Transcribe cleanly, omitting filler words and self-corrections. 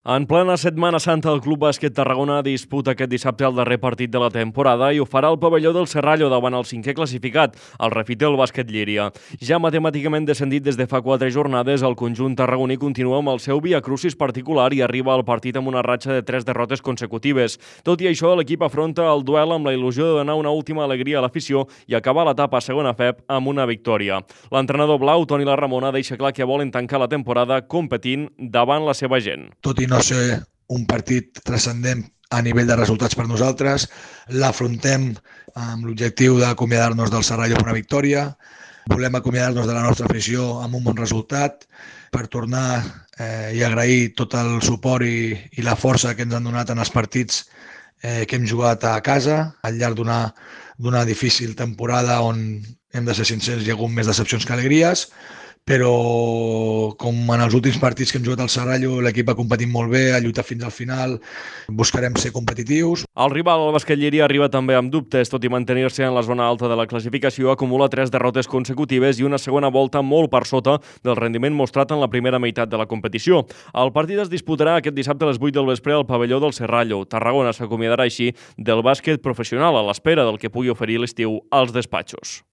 En plena Setmana Santa, el Club Bàsquet Tarragona disputa aquest dissabte el darrer partit de la temporada i ho farà al pavelló del Serrallo davant el cinquè classificat, el Refitel Bàsquet Llíria. Ja matemàticament descendit des de fa 4 jornades, el conjunt tarragoní continua amb el seu viacrucis particular i arriba al partit amb una ratxa de 3 derrotes consecutives. Tot i això, l'equip afronta el duel amb la il·lusió de donar una última alegria a l'afició i acabar l'etapa a segona FEP amb una victòria. L'entrenador blau, Toni Larramona, deixa clar que volen tancar la temporada competint davant la seva gent. Tot i no ser un partit transcendent a nivell de resultats per nosaltres, l'afrontem amb l'objectiu d'acomiadar-nos del Serrallo amb una victòria. Volem acomiadar-nos de la nostra afició amb un bon resultat per tornar i agrair tot el suport i la força que ens han donat en els partits que hem jugat a casa al llarg d'una difícil temporada on hem de ser sincers, hi ha hagut més decepcions que alegries, però com en els últims partits que hem jugat al Serrallo, l'equip ha competit molt bé, ha lluitat fins al final, buscarem ser competitius. El rival, el Bàsquet Llíria, arriba també amb dubtes, tot i mantenir-se en la zona alta de la classificació, acumula 3 derrotes consecutives i una segona volta molt per sota del rendiment mostrat en la primera meitat de la competició. El partit es disputarà aquest dissabte a les 8 del vespre al pavelló del Serrallo. Tarragona s'acomiadarà així del bàsquet professional a l'espera del que pugui oferir l'estiu als despatxos.